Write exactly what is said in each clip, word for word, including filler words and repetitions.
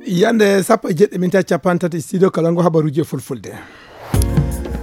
Yande sappo e jeɗɗi minti capanɗe tati, studio kala ngo habaruji e fulfulde.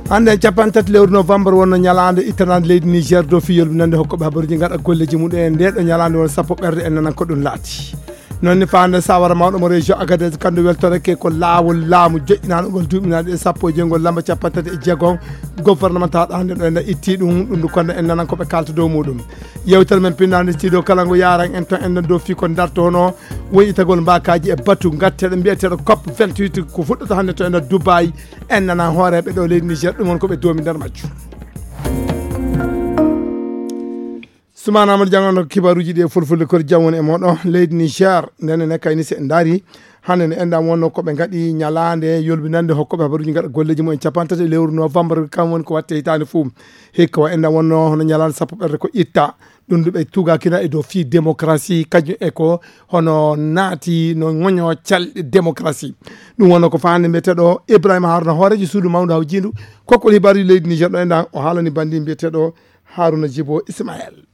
Hannde en capanɗe tati lewru novembre wonno ñalaande ittanaande leydi Niger dow fii yolbinande hokkooɓe habaruji ngaɗa golleji muɗum en. Nde ɗo ñalaande won sappo ɓerde en nanan ko ɗum laati. Noon ni faande sawara mawɗo mo région Agadez kandu weltoreke ko laawol laamu joƴƴinaano ngol duuminaade e sappo e joyngol lamba capanɗe tati e jeegom gouvernement tawaɗo hannde ɗo en itti ɗum ɗum ndu kono en nanan ko ɓe kalta dow muɗum. Yewtere men pinnaande studio kala ngo yaran en ton en nan dow fii ko darto hono woni itagol mbakaji e batu ngatteɗo mbiyeteɗo cop vingt-huit ko fuɗɗata hannde to e nder Dubai. En nana hooreɓe ɗo leydi Niger ɗum won ko ɓe doomi nder majju. Sumana Amadou Diang on kibaruji ɗi e fulfulde kori jam woni e moɗo leydi Niger. Ndene ne kayni se en daari hannde ne enɗam wonno ko ɓe ngaɗi ñalaande yolbinande hokkooɓe habaruji ngaɗa golleji mumen capanɗe tati e lewru novembre kam woni ko watte hitaande fuu. Hikka wa enɗam wonno hono ñalaande sappo ɓerde ko itta ɗum ɗo ɓe tugakina e dow fii démocratie kañum e ko hono naati no ŋoño calɗe démocratie. Ɗum wonno ko faande mbiyeteɗo Ibrahima Haruna hoorejo suudu mawdu hawjindu kokkol hibaruji leydi Niger ɗo enɗam o haalani bandi mbiyeteɗo Haruna Jibo Ismael.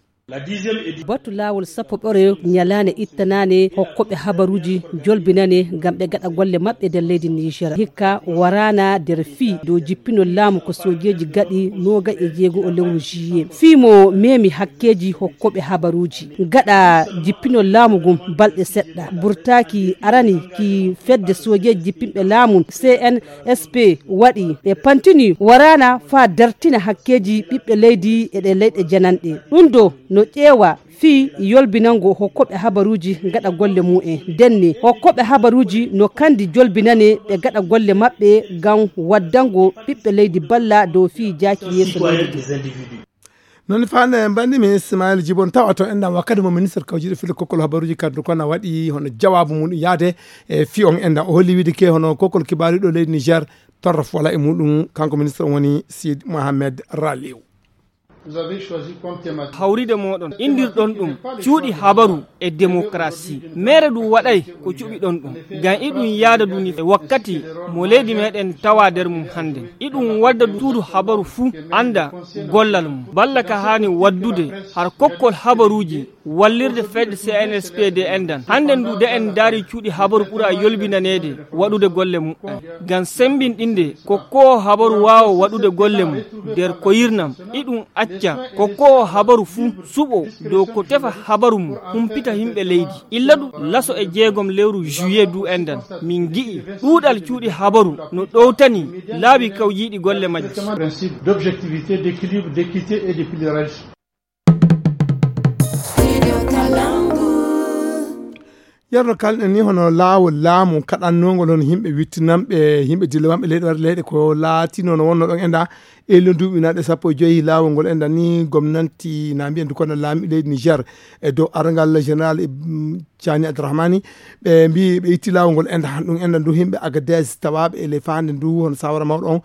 Batu laawol sappo ɓore ñalaande ittanaane hokkooɓe habaruji jolbinane ngam ɓe gaɗa golle maɓɓe nder leydi Niger. Hikka waraana nder fii dow jippinol laamu ko soojeeji gaɗi nooga e jeego o lewru juillet. Fii mo memi hakkeeji hokkooɓe habaruuji. Gaɗa jippinol laamu ngun balɗe seɗɗa. Burtaaki arani ki fedde soojeeji jippinɓe laamu C N S P waɗi. Ɓe pantini waraana faa dartina hakkeeji ɓiɓɓe leydi e ɗe leyɗe jananɗe. Ɗum ɗo no ƴeewa fii yolbinango hokkooɓe habaruuji gaɗa golle mumen. Ndenne, hokkooɓe habaruuji no kandi jolbinane ɓe gaɗa golle maɓɓe ngam waddango ɓiɓɓe leydi balla dow fii jaaki yeeso leydi ndin. Noon faande bandi mi Ismail Jibon tawa to enɗam wakkati mo ministre kawjiɗo filo kokkol habaruuji kaddu kono waɗi hono jawaabu mum yaade e fii on enɗam o holli wiide ke hono kokkol kibaaru ɗo leydi Niger torrof wala e muɗum kanko ministre woni Sid Mohamed Raliou. Hawride mooɗon indirɗon ɗum cuuɗi habaru e démocratie. Mere ɗum waɗay ko cuɓiɗon ɗum ngam iɗum yaada duni e wakkati mo leydi meɗen tawa nder mum hannde. Iɗum wadda suudu habaru fuu annda gollal mum. Balla ka haani waddude har kokkol habaruuji wallirde fedde C N S P D enɗan. Hannde ndu de en ndaari cuuɗi habaru ɓura yolbinaneede waɗude golle mumen. Ngam semmbinɗinde ko koo habaru waawa waɗude golle mum nder koyirnam, iɗum acca ko koo habaru fuu suɓo dow ko tefa habaru mum humpita yimɓe leydi. Illa ɗum laso e jeegom lewru juillet du enɗan min ngi'i ɗuuɗal cuuɗi habaru no ɗowtani laabi kawjiiɗi golle majji. Yerno kalɗen ni hono laawol laamu kaɗannongol hono yimɓe wittinanɓe yimɓe dillewanɓe leyɗe warde leyɗe ko laatino no wonno ɗon enɗa e lon duuɓi naɗe sappo e joyi laawol ngol enɗa ni gomnanti na mbiyen du kono laami leydi Niger e dow arangal général Cani Abdourahmani ɓe mbi ɓe itti laawol ngol enɗa ɗum enɗa du yimɓe Agadez tawaɓe e ley faande ndu hono sawara mawɗo on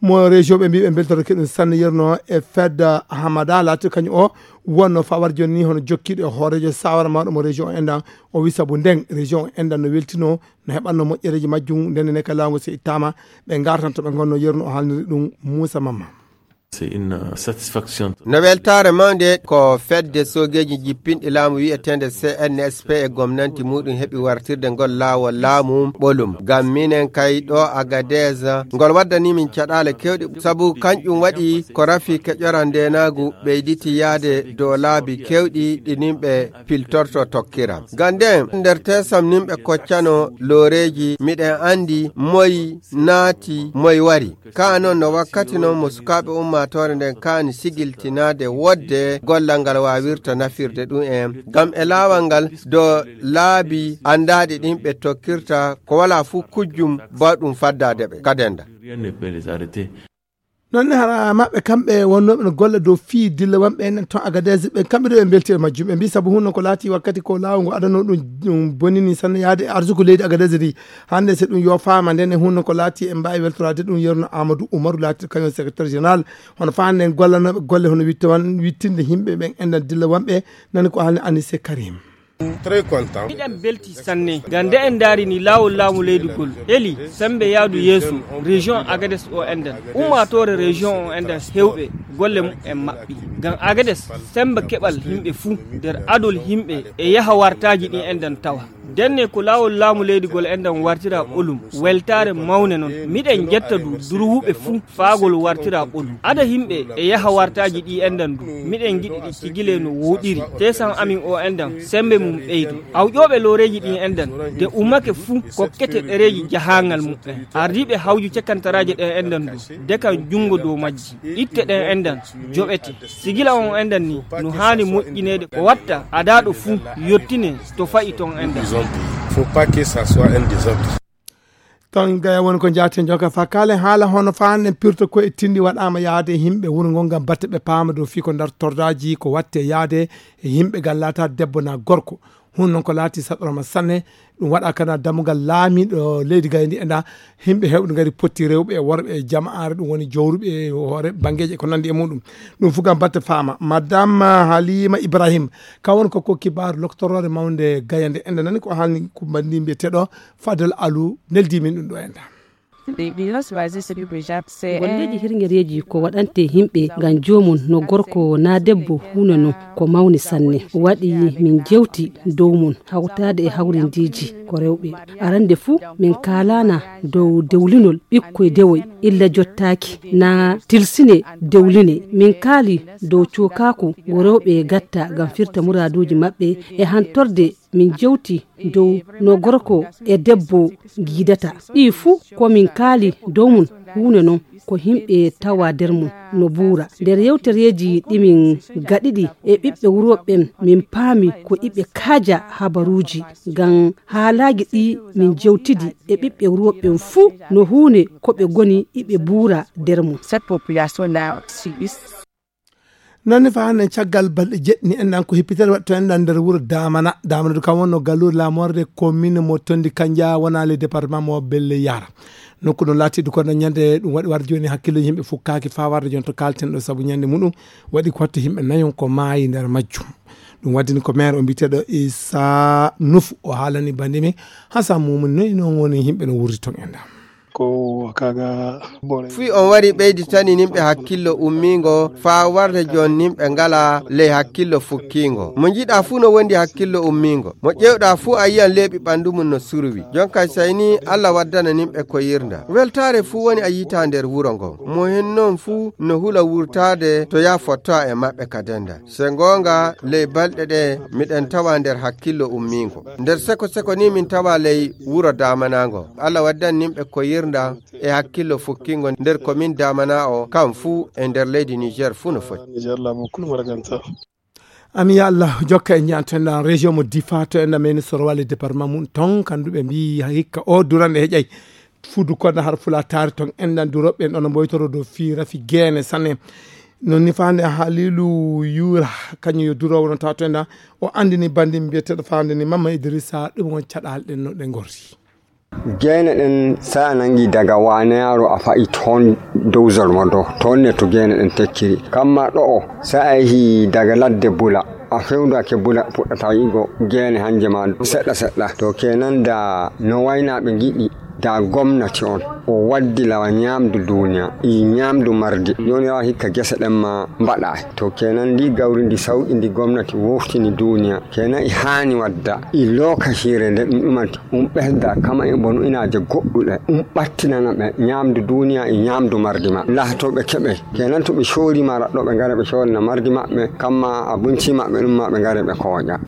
mo région ɓe mbi ɓe beltorake ɗum sanne yerno e fedda Hamada laati kañum o wonno fawar jonni hono jokkiiɗo e hooreejo sawara mawɗo mo région o enɗan o wi sabu nden région o enɗan no weltino no heɓanno moƴƴereeji majjum ndenne ne ka laawol ngol so ittaama ɓe ngartan to ɓe ngonno yerno o haalniri ɗum Moussa Mamma. No weltaare mawnde ko fedde soogeeji jippinɗi laamu wiyeteende C N S P e gomnanti muɗum heɓi wartirde ngol laawol laamu ɓolum ngam minen kay ɗo Agadez ngol waddani min caɗaale kewɗe sabu kanƴum waɗi ko rafi keƴora ndeenaagu ɓeyditi yaade dow laabi kewɗi ɗi nimɓe piltorto tokkira. Ngam nden nder tesam nimɓe koccano looreeji miɗen anndi moy naati moy wari. Kaa non no wakkati non mo sukaaɓe ummaatoore nden kaani sigiltinaade wodde gollal ngal waawirta nafirde ɗum en ngam e laawal ngal do laabi anndaaɗi ɗin ɓe tokkirta ko walaa fuu kujjum bawɗum faddaade ɓe kadenda. Noon ne hara maɓɓe kamɓe wonnooɓe no golla dow fii dilla wonɓe enen toon Agadez ɓe kamɓe ɗo ɓe mbelti e majjum ɓe mbi sabu hunno ko laati wakkati ko laawol ngo adano ɗum bonini sanne yaade e arsuku leydi Agadez ndi hannde so ɗum yofaama nden e hunno ko laati en mbaawi weltoraade ɗum yerno Amadou Oumarou laati kañum secrétaire général hono faande en gollanooɓe golle hono witte wan wittinde yimɓe ɓen enɗan dilla wonɓe nani ko haalni Anise Karim. Très content. Miɗen belti sanne ngam nde en ndaari ni laawol laamu leydi ngol heli semmbe yaadu yeeso. Région Agadez o enɗan, ummaatoore région o enɗan, heewɓe golle mum en maɓɓi. Ngam Agadez semmba keɓal yimɓe fuu nder adol yimɓe e yaha wartaaji ɗi enɗan tawa. Ndenne ko laawol laamu leydi ngol enɗan wartira ɓolum weltaare mawne noon. Miɗen njetta du durwuɓe fuu faagol wartira ɓolum. Ada yimɓe e yaha wartaaji ɗi enɗan du. Miɗen ngiɗi ɗi cigile no wooɗiri. Teesan amin o enɗan semmbe mum ɓeydo. Awƴooɓe looreeji ɗi enɗan de ummake fuu kokkete ɗereeji jahaangal mum en. Ardiiɓe hawju cekkantaraaje ɗen enɗan du. Dekan junngo dow majji. Itte ɗen enɗan joɓete. Sigila on enɗan ni no haani moƴƴineede ko watta adaaɗo fuu yottine to fa'i ton enɗan. Faut pas que ça soit un désordre. Ton gaya woni ko jaaten joka fakale haala hono faanden pirto ko e tindi waɗama yaade e yimɓe wuro ngo ngam batte ɓe paama dow fii ko ndar tordaaji ko watte yaade e yimɓe gallata debbo na gorko. Hun noon ko laati saɗorama sanne. Ɗum waɗa kana dammugal laamiɗo leydi gayndi enda yimɓe hewɓe ngari potti rewɓe e worɓe e jama'aare ɗum woni jowruɓe e hoore banngeeji e ko nandi e muɗum. Ɗum fof kam batte faama madame halima ibrahim. Kan woni ko ko kibar loktoroore mawnde gayande enda nani ko haalni kumbandi mbiyeteɗo fadel alu neldi min ɗum ɗo enda. Golleeji hirngereeji ko waɗante yimɓe ngam joomum no gorko na debbo huunde non ko mawni sanne. Waɗi min jewti dow mum hawtaade e hawrindiiji ko rewɓe. Arande fuu min kaalana dow dewlinol ɓikkoy dewoy illa jottaaki na tilsine dewline. Min kaali dow cokaaku ngo rewɓe gatta ngam firta muraaduuji maɓɓe e hantorde min jewti dow no gorko e debbo ngiidata. Ɗi fuu ko min kaali dow mum huunde non ko yimɓe tawa nder mum no buura. Nder yewtereeji ɗi min gaɗidi e ɓiɓɓe wurooɓe ɓen min paami ko iɓe kaaja habaruuji ngam haalaaji ɗi min jewtidi e ɓiɓɓe wurooɓe ɓen fuu no huunde ko ɓe ngoni iɓe buura nder mum. Cette population là subit. Nanni fa hannde caggal balɗe jeɗɗi ni enɗan ko hippitere waɗto enɗan nder wuro damana damana du kam wonno galluure lamorde commune mo tondi kanja wona le département mo belle yara. Nokku ɗum laati du kono ñande ɗum waɗi warde joni hakkillo yimɓe fukkaaki fa warde jon to kalten ɗo sabu ñande muɗum waɗi ko watta yimɓe nayon ko maayi nder majjum. Ɗum waddini ko maire o mbiteɗo isa nufu o haalani bandimi hasan mumum noyi noon woni yimɓe no wurdi ton enɗan. Ko kaga bore. Fii on wari ɓeyditani nimɓe hakkillo ummiingo faa warde joon nimɓe ngala ley hakkillo fukkiingo. Mo njiɗaa fuu no wondi hakkillo ummiingo. Mo ƴeewɗaa fuu a yi'an leeɓi ɓanndu mum no surwi. Joon kay sey nii Alla waddana nimɓe ko yirnda. Weltaare fuu woni a yi'ataa nder wuro ngo. Mo hen non fuu no hula wurtaade to yaa fottaa e maɓɓe ka denda. Se goonga ley balɗe ɗe miɗen tawa nder hakkillo ummiingo. Nder seko seko ni min tawa ley wuro damanaango. Alla waddan nimɓe ko yirnda e hakkillo fukkingo nder komin damana o kam fuu e nder leydi Niger fuu no foti. Niger laamu kulu maraganta. Ami ya Allah jokka e njanten ɗan région mo difa to en ɗan meni sorowale département mum ton kanduɓe mbi hikka o durande heƴay. Fudu kono har fula taari ton enɗan duroɓe en ɗono mboytoro dow fii rafi geene sanne. Non ni fande halilu yura kañum yo durowo non tawa to enɗan o andini bandi mbiyeteɗo fande ni mamma idrissa ɗum on caɗal ɗen no ɗe gorri. Geene ɗen sa a nangi daga waneyaro a fa'i ton dow zolmo do ton ne to geene ɗen tekkiri kamma ɗo'o sa a yehi daga ladde bula a fewndake bula puɗɗata yi'ugo geene hanje ma seɗɗa seɗɗa to kenan da no waynaɓe giɗi da gomnati on o waddi lawa ñamdu duniya e ñamdu mardi joni rawa hikka gese ɗen ma mbaɗa to kenan ndi gawri ndi sawɗi ndi gomnati woftini duniya kenan e hani wadda e lokacire nde ɗum ɗumanti um ɓesda kama e bonu inaje goɗɗuɗe um ɓattinana ɓe ñamdu duniya e ñamdu mardi ma laha to ɓe keɓe kenan to ɓe sori ma raɗɗo ɓe ngara ɓe sorina mardi maɓɓe kamma abinci maɓɓe ɗum ma ɓe ngara ɓe koƴa.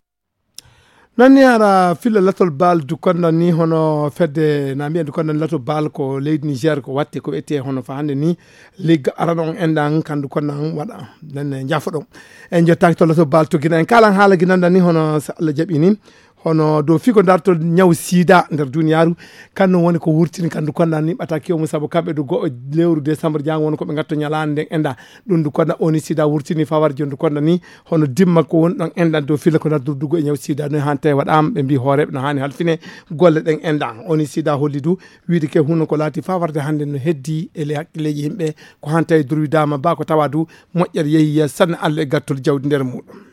Nanni ara filla latol bal dukonda ni hono fedde na mbiyen dukonda ni latol bal ko leydi niger ko watte ko wiyete hono fa hande ni ligga arano on endan kan dukonda on waɗa. Nanne jafo ɗon en jottaki to latol bal to gina en kalan haala ginanda ni hono so allah jaɓi ni hono dow figo dartol ñaw sida nder duniyaru. Kan non woni ko wurtini kan dukonda ni ɓataki o mum saabu kamɓe du go'o lewru décembre jango woni ko ɓe gatto ñalande nden enda. Ɗum du kono oni sida wurtini fawar jondu kono ni hono dimma ko woni ɗon enɗan dow filla ko nar durdugo e ñaw sida no hante waɗama ɓe mbi hooreɓe no hani halfine golle ɗen enɗan oni sida holli du wiide ke huno ko laati fawarde hande no heddi e le hakkilleji yimɓe ko hante e durwidama ba ko tawa du moƴƴere yeeyi sanne allah e gattol jawdi nder muɗum.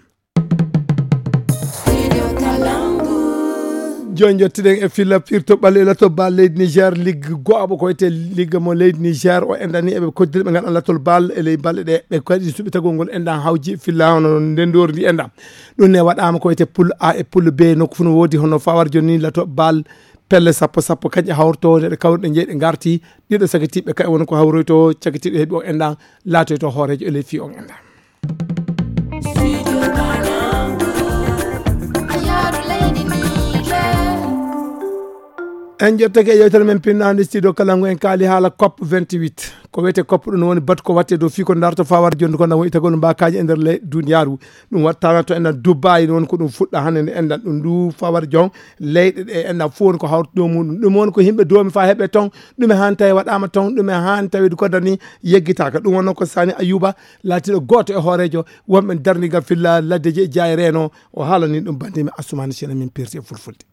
Jooni njottiɗen e filla pirto ɓalli e lato bal leydi Niger, ligge go'aɓo ko wiyetee ligge mo leydi Niger. O enɗan ni eɓe koddiri ɓe ngaɗan lato bal e ley balɗe ɗe. Ɓe kadi suɓi tagol ngol enɗan hawji filla hono ndendori ndi enɗan. Ɗum ne waɗaama ko wiyetee poule A e poule B, nokku fof no woodi hono fawar jooni ni lato bal pelle sappo sappo kañƴe hawrto ɗe kawruɗe jeyɗe ngarti. Ɗiɗo sagitiiɓe kay woni ko hawroyto, cagitiiɗo heɓi o enɗan laatoyto hooreejo e ley fii on enɗan. En jottake e yewtere men pinnaande studio kala ngo en kaali haala cop vingt-huit. Ko wiyetee cop ɗum woni batu ko watte dow fii ko darto fawar jonde ko na woni tagol mbaakaaji e nder ley duniyaaru. Ɗum wattana to enɗan Dubai, ɗum woni ko ɗum fuɗɗa hannde nde enɗan ɗum ndu fawar jon leyɗe ɗe enɗan fof woni ko hawrude dow muɗum. Ɗum woni ko yimɓe doomi faa heɓe ton, ɗume haan tawi waɗaama ton, ɗume haan tawi ko dani yeggitaaka. Ɗum wonno ko Sani Ayuba laatiiɗo gooto e hooreejo wonɓe darndigal filla laddeji e jaayi reeno. O haalani ɗum banndimi Assumaani Sena min pirti e fulfulde.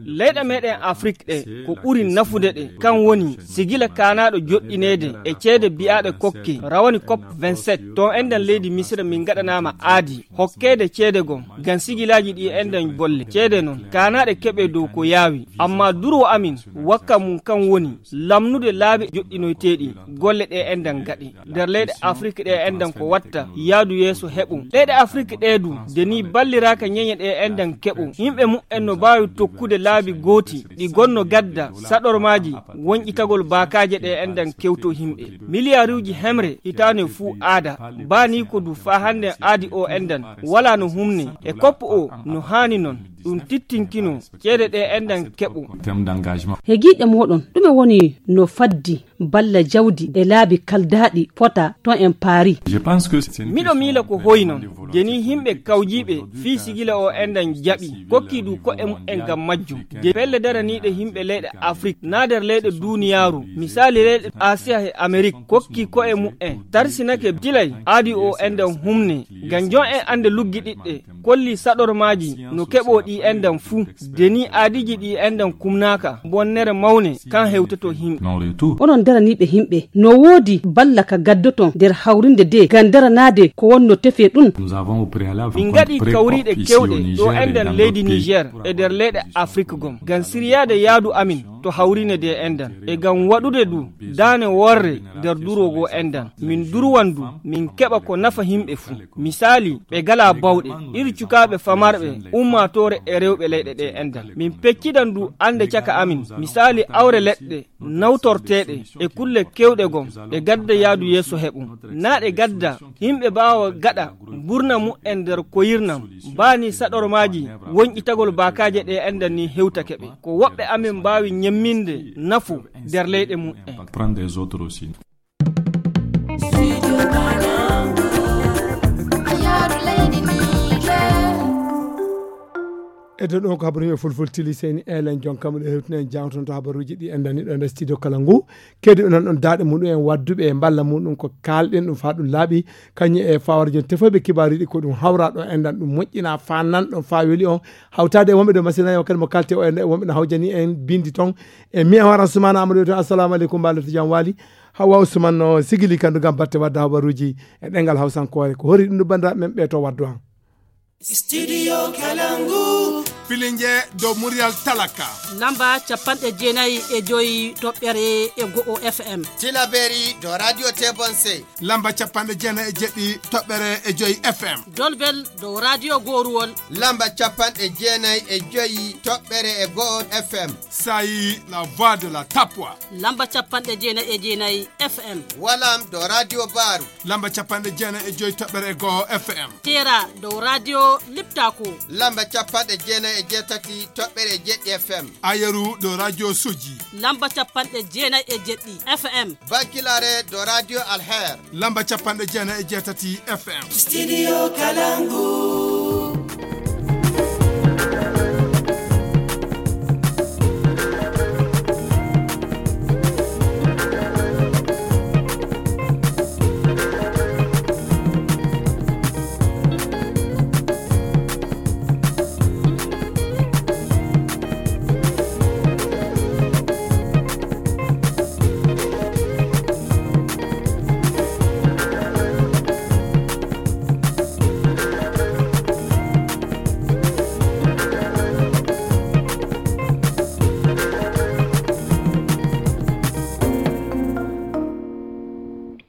Leyɗe meɗen Afrik ɗe, ko ɓuri nafude ɗe, kan woni sigila kaanaaɗo joɗɗineede e ceede biyaaɗe kokke, rawani cop vingt-sept, toon enɗan leydi Misira min ngaɗanaama aadi, hokkeede ceede gom, ngam sigilaaji ɗi enɗan bolle. Ceede noon, kaanaaɗe keɓe dow ko yaawi, amma durwo amin, wakka mum kan woni, lamnude laabi joɗɗinoyteeɗi, golle ɗe enɗan gaɗe. Nder leyɗe Afrik ɗe enɗan ko watta yaadu yeeso heɓo. Leyɗe Afrik ɗe du, de ni balliraaka ñeñe ɗe enɗan keɓo. Yimɓe mu'en no mbaawi tokkude laabi gooti, ɗi gonno gadda, saɗormaaji, wonƴitagol baakaaje ɗe enɗan kewto yimɓe. Miliyaaruuji hemre hitaane fuu aada. Baa ni ko du faa hannde aadi o enɗan, walaa no humne. E koppo o, no haani noon, ɗum tittinkino, ceede ɗe enɗan keɓo. He giiɗe mooɗon, ɗume woni no faddi balla jawdi e laabi kaldaaɗi fota to en paari? Miɗo miila ko hoyi noon, de ni yimɓe kawjiiɓe fii sigila o enɗan jaɓi, kokki du ko'e mu'en ngam majjum. De pelle daraniiɗe yimɓe leyɗe Afrik, naa nder leyɗe duuniyaaru, misaali leyɗe Asiya e Amerik, kokki ko'e mu'en, tarsinake tilay aadi o enɗan humne, ngam jon en annde luggiɗiɗɗe, kolli saɗormaaji no keɓoo ɗi enɗan fuu. De ni aadiiji ɗi enɗan kumnaaka, bonnere mawne kan hewtoto yimɓe. Onon daraniiɓe yimɓe, no woodi balla ka gaddoton nder hawrinde de ngam daranaade ko wonno tefee ɗum? Min ngaɗi kawriiɗe kewɗe ɗo enɗan leydi Niger e nder leyɗe Afrik gom, ngam siryaade yaadu amin to hawrine de enɗan. E ngam waɗude du daane worre nder durwo goo enɗan. Min durwan du, min keɓa ko nafa yimɓe fuu. Misaali, ɓe ngalaa bawɗe, iri cukaaɓe famarɓe, ummaatoore e rewɓe leyɗe ɗe enɗan. Min peccidan du annde caka amin, misaali awre leɗɗe, nawtorteeɗe, e kulle kewɗe gom, ɗe gadda yaadu yeeso heɓum. Naa ɗe gadda, yimɓe mbaawa gaɗa, mburna mu'en nder koyirnam, mbaani saɗormaaji, wonƴitagol baakaaje ɗe enɗan ni hewtake ɓe. Ko woɓɓe amin mbaawi ñemminde nafu nder leyɗe mu'en. E ɗo ɗon ko habaruji e fulful tili seni elen jonkam ɗo hewtinen jangton to habaruji ɗi en dani ɗo nder studio kala ngu. Kedi onon ɗon daaɗe muɗum en wadduɓe e mballa muɗum ko kalɗen ɗum faa ɗum laaɓi. Kañum e fawara jon tefoyɓe kibaaruji ɗi ko ɗum hawra ɗo enɗan ɗum moƴƴina faa nan ɗon faa weli on. Hawtaade e wonɓe ɗo masina yo kadi mo kalte o enɗan e wonɓe no hawjani en bindi ton. E mi e horan Sumana Amadou ton. Assalamu aleykum, mbaɗa to jam waali. Hawa Ousmane no sigili kandu ngam batte wadda habaruji e ɗengal Hausankore. Ko hori ɗum ɗo banndiraaɓe men ɓe to waddu an. Studio Kalangu. Filinge dow muryal talaka. Lamba capanɗe jeenayi e joyi toɓɓere e go'o F M. Tilaberi dow Radio Tebonse. Lamba capanɗe jeenayi e jeɗɗi toɓɓere e joyi F M. Dolbel dow Radio Goruwol. Lamba capanɗe jeenayi e joyi toɓɓere e go'o F M. Sayi la voix de la Tapwa. Lamba capanɗe jeenayi e jeenayi F M. Walam dow Radio Baru. Lamba capanɗe jeenayi e joyi toɓɓere e go'o F M. Tera dow Radio Liptako. Lamba capanɗe jeenayi e jeetati toɓɓere e jeɗɗi F M. Ayeru dow Radio Soji. Lamba capanɗe jeenayi e jeɗɗi F M. Bankilare dow Radio Alher. Lamba capanɗe jeenayi e jeetati F M. Studio Kalangu.